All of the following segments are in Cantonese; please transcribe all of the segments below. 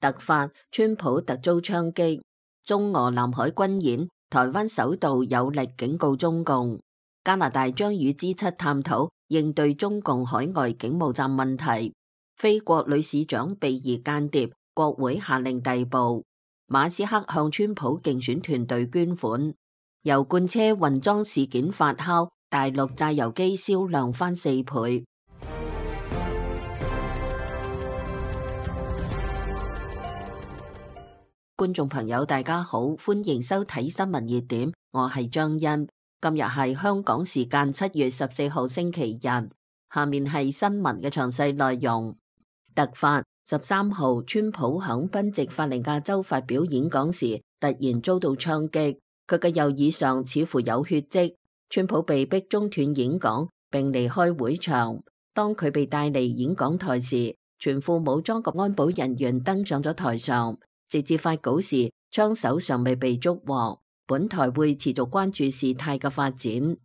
突發，川普突遭槍擊。中俄南海軍演，台灣首度有力警告中共。加拿大將與 G7 探討應對中共海外警務站問題。菲國女市長被疑間諜，國會下令逮捕。馬斯克向川普競選團隊捐款。油罐車混裝事件發酵，大陸榨油機銷量翻4倍。觀眾朋友大家好，歡迎收睇新聞熱點，我係張欣。今日係香港時間7月14號星期日，下面係新聞嘅詳細內容。突發，13號川普響賓夕法尼亞州發表演講時，突然遭到槍擊，佢嘅右耳上似乎有血跡。川普被逼中斷演講並離開會場。當佢被帶離演講台時，全副武裝嘅安保人員登上咗台上。直至發稿時，槍手尚未被捉獲。本台會持續關注事態嘅發展。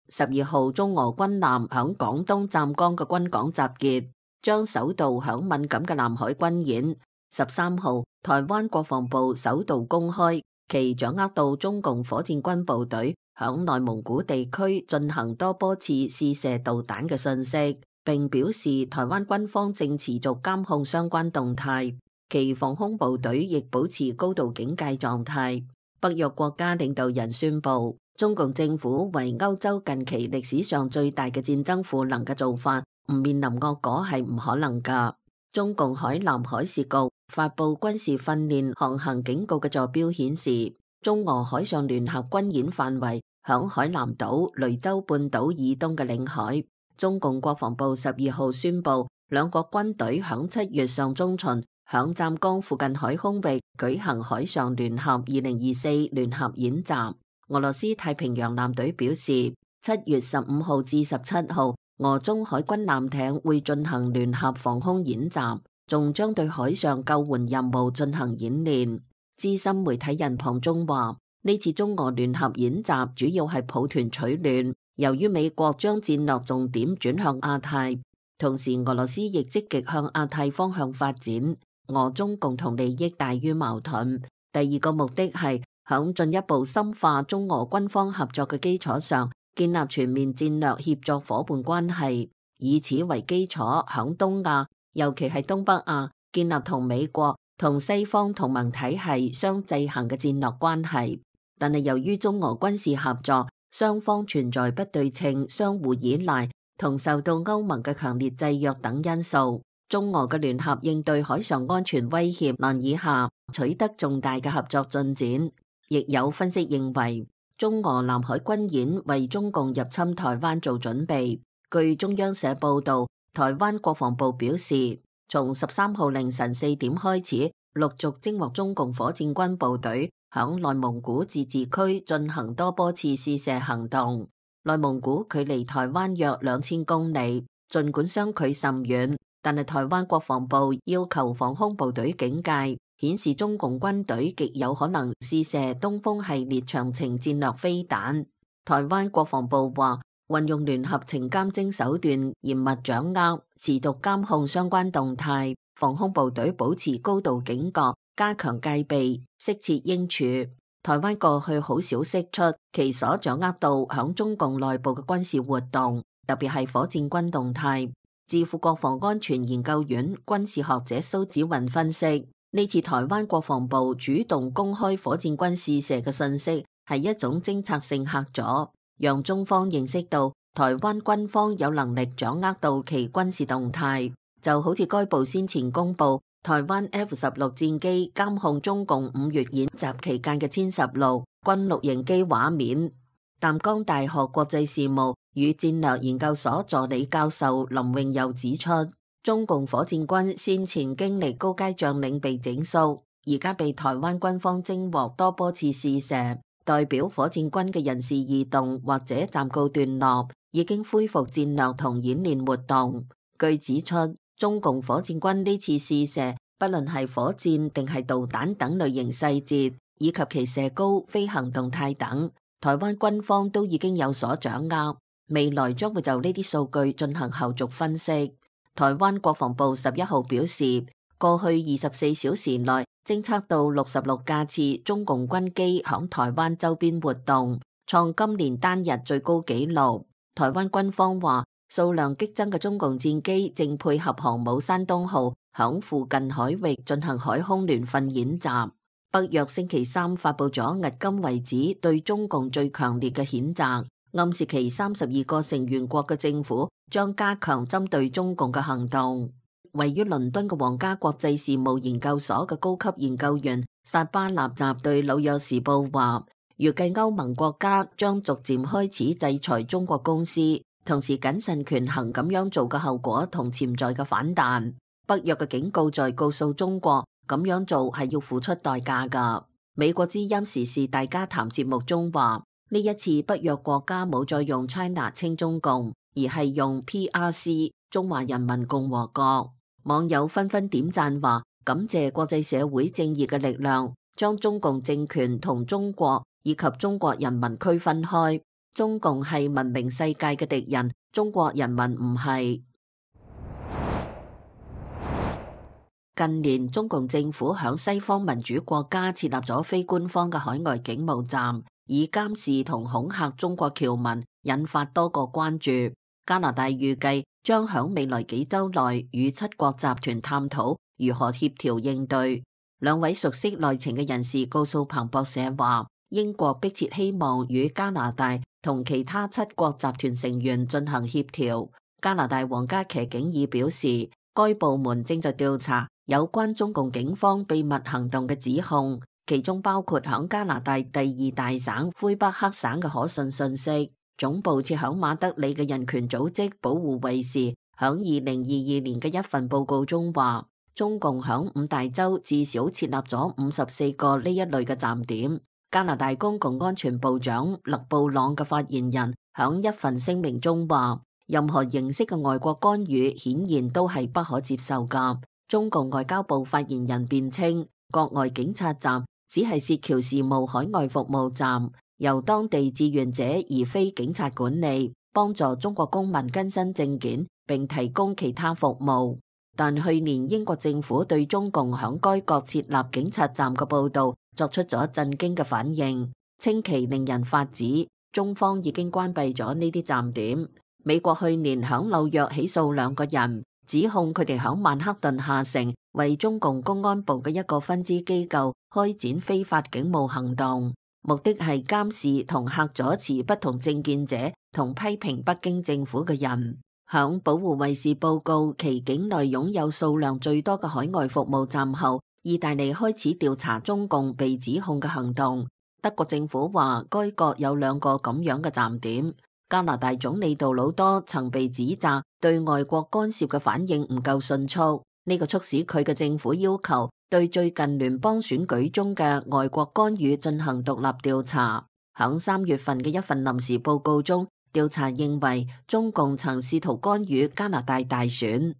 12號，中俄軍艦響廣東湛江嘅軍港集結，將首度響敏感嘅南海軍演。13號，台灣國防部首度公開其掌握到中共火箭軍部隊響內蒙古地區進行多波次試射導彈嘅信息，並表示台灣軍方正持續監控相關動態，其防空部隊亦保持高度警戒狀態。北約國家領導人宣布，中共政府為歐洲近期歷史上最大嘅戰爭賦能嘅做法，唔面臨惡果係唔可能噶。中共海南海事局發佈軍事訓練航行警告嘅座標顯示，中俄海上聯合軍演範圍響海南島、雷州半島以東嘅領海。中共國防部12號宣布，兩國軍隊響7月上中旬響湛江附近海空域舉行海上聯合2024聯合演習。俄羅斯太平洋艦隊表示，7月15號至17號，俄中海軍艦艇會進行聯合防空演習，仲將對海上救援任務進行演練。資深媒體人龐中話，呢次中俄聯合演習主要係抱團取暖。由於美國將戰略重點轉向亞太，同時俄羅斯亦積極向亞太方向發展，俄中共同利益大於矛盾。第二個目的係響進一步深化中俄軍方合作嘅基礎上，建立全面戰略協作夥伴關係，以此為基礎響東亞，尤其係東北亞，建立同美國同西方同盟體系相制衡嘅戰略關係。但係由於中俄軍事合作，雙方存在不對稱、相互依賴同受到歐盟嘅強烈制約等因素，中俄嘅聯合應對海上安全威脅難以下取得重大嘅合作進展。亦有分析認為，中俄南海軍演為中共入侵台灣做準備。據中央社報道，台灣國防部表示，從13號凌晨4點開始，陸續偵獲中共火箭軍部隊響內蒙古自治區進行多波次試射行動。內蒙古距離台灣約2000公里，儘管相距甚遠，但係台灣國防部要求防空部隊警戒，顯示中共軍隊極有可能試射東風系列長程戰略飛彈。台灣國防部話，運用聯合情監偵手段，嚴密掌握、持續監控相關動態，防空部隊保持高度警覺，加強戒備，適切應處。台灣過去好少釋出其所掌握到響中共內部嘅軍事活動，特別係火箭軍動態。智庫國防安全研究院軍事學者蘇子雲分析，呢次台灣國防部主動公開火箭軍試射嘅信息，係一種偵察性嚇阻，讓中方認識到台灣軍方有能力掌握到其軍事動態。就好似該部先前公布台灣 F-16戰機監控中共5月演習期間嘅殲16軍錄影機畫面。淡江大學國際事務與戰略研究所助理教授林永佑指出，中共火箭軍先前經歷高階將領被整肅，而家被台灣軍方偵獲多波次試射，代表火箭軍嘅人事異動或者暫告段落，已經恢復戰略同演練活動。據指出，中共火箭軍呢次試射，不論係火箭定係導彈等類型細節，以及其射高、飛行動態等，台灣軍方都已經有所掌握。未來將會就呢啲數據進行後續分析。台灣國防部11號表示，過去24小時內偵測到66架次中共軍機響台灣周邊活動，創今年單日最高紀錄。台灣軍方話，數量激增嘅中共戰機正配合航母山東號響附近海域進行海空聯訓演習。北約星期三發佈咗迄今為止對中共最強烈嘅譴責，暗示其32個成員國嘅政府將加強針對中共嘅行動。位於倫敦嘅皇家國際事務研究所嘅高級研究員薩巴納集對紐約時報話，預計歐盟國家將逐漸開始制裁中國公司，同時謹慎權衡咁樣做嘅後果同潛在嘅反彈。北約嘅警告在告訴中國，咁樣做係要付出代價㗎。美國之音時事大家談節目中話，呢一次北約國家冇再用 China 稱中共，而係用 PRC 中華人民共和國。網友紛紛點讚話，感謝國際社會正義嘅力量，將中共政權同中國以及中國人民區分開。中共係文明世界嘅敵人，中國人民唔係。近年中共政府響西方民主國家設立咗非官方嘅海外警務站，以監視同恐嚇中國僑民，引發多個關注。加拿大預計將響未來幾週內與7國集團探討如何協調應對。兩位熟悉內情嘅人士告訴彭博社話，英國迫切希望與加拿大同其他7國集團成員進行協調。加拿大皇家騎警已表示，該部門正在調查有關中共警方秘密行動嘅指控，其中包括響加拿大第2大省魁北克省嘅可信信息。總部設響馬德里嘅人權組織保護衛士響2022年嘅一份報告中話，中共響5大洲至少設立咗54個呢一類嘅站點。加拿大公共安全部長勒布朗嘅發言人響一份聲明中話，任何形式嘅外國干預顯然都係不可接受㗎。中共外交部發言人辯稱，國外警察站只係涉僑事務海外服務站，由當地志願者而非警察管理，幫助中國公民更新證件並提供其他服務。但去年英國政府對中共響該國設立警察站嘅報導作出咗震驚嘅反應，稱其令人髮指。中方已經關閉咗呢啲站點。美國去年響紐約起訴2個人，指控佢哋響曼克頓下城為中共公安部嘅一個分支機構開展非法警務行動，目的係監視同嚇阻持不同政見者同批評北京政府嘅人。響保護衛士報告其境內擁有數量最多嘅海外服務站後，意大利開始調查中共被指控嘅行動。德國政府話該國有2個咁樣嘅站點。加拿大總理杜魯多曾被指責對外國干涉嘅反應唔夠迅速，呢個促使佢嘅政府要求對最近聯邦選舉中嘅外國干預進行獨立調查。響3月份嘅一份臨時報告中，調查認為中共曾試圖干預加拿大大選。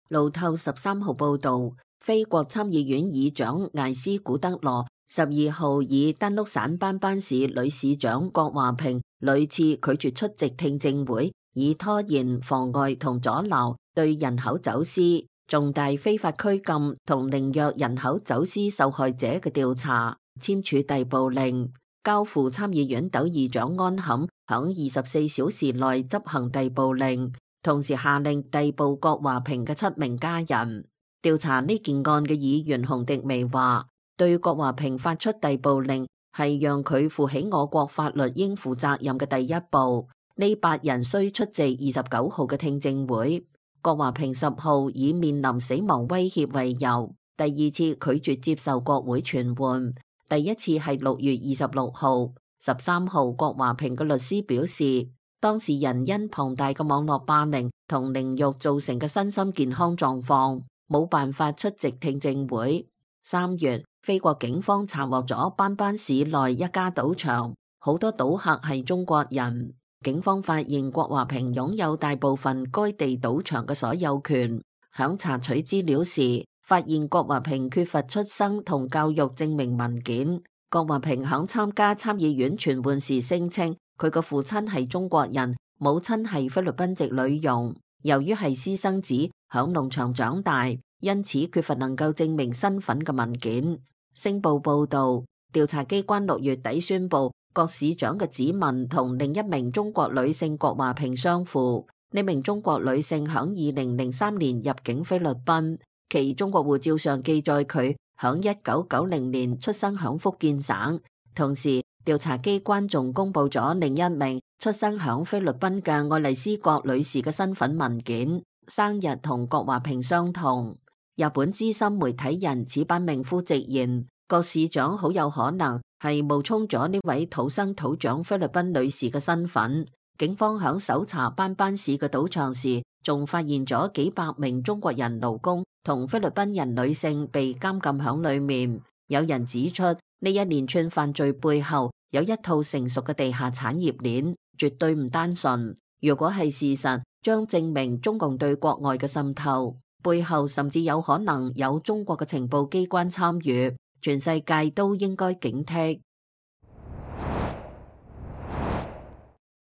路透13號報道，非國參議院議長艾斯古德羅12號以丹碌省班班市女市長郭華平屢次拒絕出席聽證會，以拖延、妨礙同阻撓對人口走私、重大非法拘禁同凌虐人口走私受害者嘅調查，簽署逮捕令，交付參議院鬥議長安坎響24小時內執行逮捕令，同時下令逮捕郭華平嘅7名家人。調查呢件案嘅議員洪迪薇話，對郭華平發出逮捕令係讓佢負起我國法律應負責任嘅第一步。呢8人需出席29號嘅聽證會。郭華平10號以面臨死亡威脅為由，第2次拒絕接受國會傳喚。第一次係6月26號。13號郭華平嘅律師表示，當事人因龐大嘅網絡霸凌同凌辱造成嘅身心健康狀況，冇辦法出席聽證會。3月，菲國警方查獲咗班班市內一家賭場，好多賭客係中國人。警方發現郭華平擁有大部分該地賭場嘅所有權。響查取資料時，發現郭華平缺乏出生同教育證明文件。郭華平響參加參議院傳喚時聲稱，佢嘅父親係中國人，母親係菲律賓籍女傭，由於係私生子，響農場長大，因此缺乏能夠證明身份嘅文件。星報報道，調查機關6月底宣布，郭市長嘅指紋同另一名中國女性郭華萍相符。呢名中國女性響2003年入境菲律賓，其中國護照上記載佢響1990年出生響福建省。同時，調查機關仲公布咗另一名出生響菲律賓嘅愛麗絲郭女士嘅身份文件，生日同郭華萍相同。日本資深媒體人矢板明夫直言，郭市長好有可能係冒充咗呢位土生土長菲律賓女士嘅身份。警方響搜查班班市嘅賭場時，仲發現咗幾百名中國人勞工同菲律賓人女性被監禁響裏面。有人指出，呢一連串犯罪背後有一套成熟嘅地下產業鏈，絕對唔單純。如果係事實，將證明中共對國外嘅滲透，背後甚至有可能有中國嘅情報機關參與，全世界都應該警惕。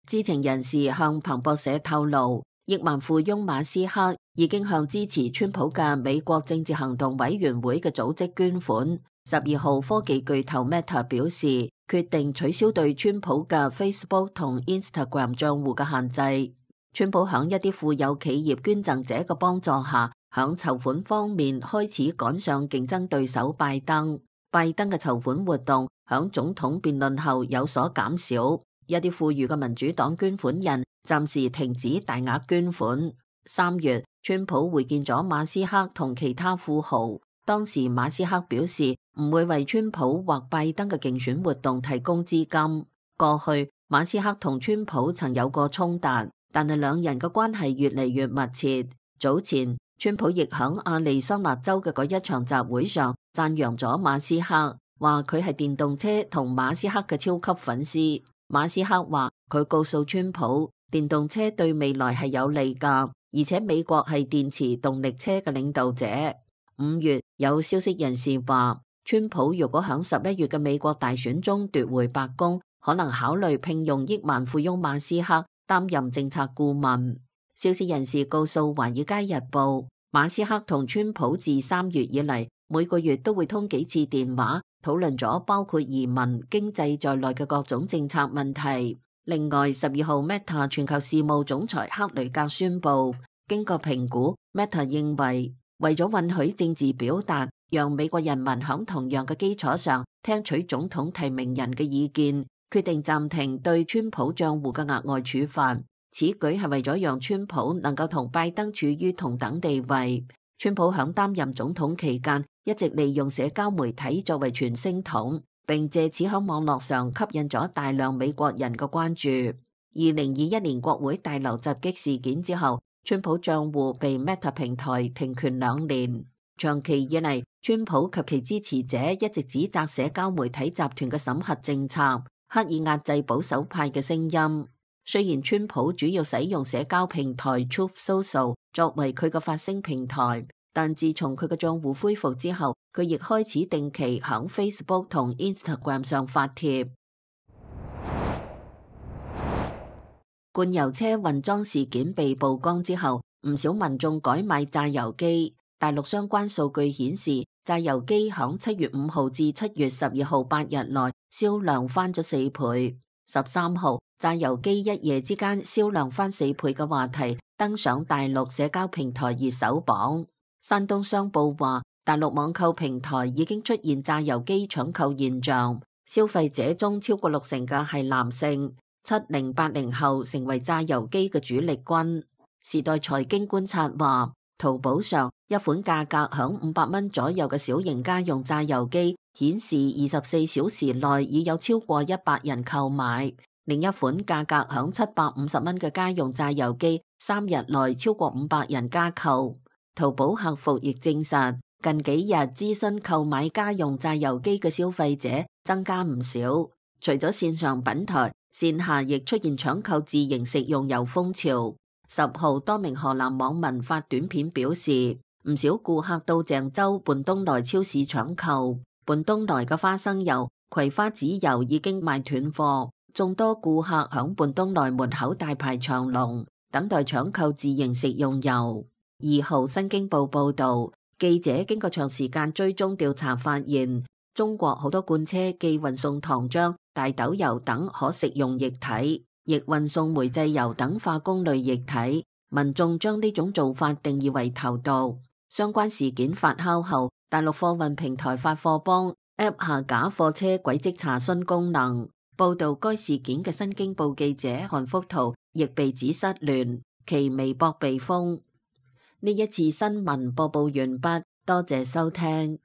知情人士向彭博社透露，億萬富翁馬斯克已經向支持川普嘅美國政治行動委員會嘅組織捐款。12號，科技巨頭 Meta 表示，決定取消對川普嘅 Facebook 同 Instagram 賬戶嘅限制。川普響一啲富有企業捐贈者嘅幫助下，響籌款方面開始趕上競爭對手拜登。拜登嘅籌款活動響總統辯論後有所減少。一啲富裕嘅民主黨捐款人暫時停止大額捐款。3月，川普會見咗馬斯克同其他富豪，當時馬斯克表示唔會為川普或拜登嘅競選活動提供資金。過去，馬斯克同川普曾有過衝突，但係兩人嘅關係越嚟越密切。早前，川普亦響亞利桑那州嘅嗰一場集會上讚揚咗馬斯克，話佢係電動車同馬斯克嘅超級粉絲。馬斯克話佢告訴川普，電動車對未來係有利㗎，而且美國係電池動力車嘅領導者。5月，有消息人士話，川普如果響11月嘅美國大選中奪回白宮，可能考慮聘用億萬富翁馬斯克擔任政策顧問。消息人士告訴《華爾街日報》，馬斯克同川普自3月以嚟，每個月都會通幾次電話，討論咗包括移民、經濟在內嘅各種政策問題。另外，12號 Meta 全球事務總裁克雷格宣布，經過評估 ，Meta 認為咗允許政治表達，讓美國人民響同樣嘅基礎上聽取總統提名人嘅意見，決定暫停對川普賬戶嘅額外處罰。此舉係為咗讓川普能夠同拜登處於同等地位。川普響擔任總統期間，一直利用社交媒體作為傳聲筒，並借此響網絡上吸引咗大量美國人嘅關注。2021年國會大樓襲擊事件之後，川普賬戶被 Meta 平台停權2年。長期以嚟，川普及其支持者一直指責社交媒體集團嘅審核政策，刻意壓制保守派嘅聲音。雖然川普主要使用社交平台 Truth Social 作為佢嘅發聲平台，但自從佢嘅賬戶恢復之後，佢亦開始定期響 Facebook 同 Instagram 上發帖。罐油車混裝事件被曝光之後，唔少民眾改買榨油機。大陸相關數據顯示，榨油機響7月5號至7月12號8日內銷量翻咗4倍。13號，榨油機一夜之間銷量翻4倍嘅話題登上大陸社交平台熱搜榜。山東商報話，大陸網購平台已經出現榨油機搶購現象，消費者中超過60%嘅係男性，70、80後成為榨油機嘅主力軍。時代財經觀察話，淘寶上一款價格響500蚊左右嘅小型家用榨油機顯示24小時內已有超過100人購買，另一款價格響750蚊嘅家用榨油機3日內超過500人加購。淘寶客服亦證實，近幾日諮詢購買家用榨油機嘅消費者增加唔少。除咗線上品台，線下亦出現搶購自營食用油風潮。10號，多名河南網民發短片表示，唔少顧客到鄭州泮東來超市搶購。泮東來嘅花生油、葵花籽油已經賣斷貨，眾多顧客響半東來門口大排長龍，等待搶購自營食用油。2號新京報報道，記者經過長時間追蹤調查發現，中國好多罐車既運送糖漿、大豆油等可食用液體，亦運送煤製油等化工類液體。民眾將呢種做法定義為投毒。相關事件發酵後，大陸貨運平台發貨幫 App 下架貨車軌跡查詢功能。報道該事件嘅新京報記者韓福圖亦被指失聯，其微博被封。呢一次新聞播報完畢，多謝收聽。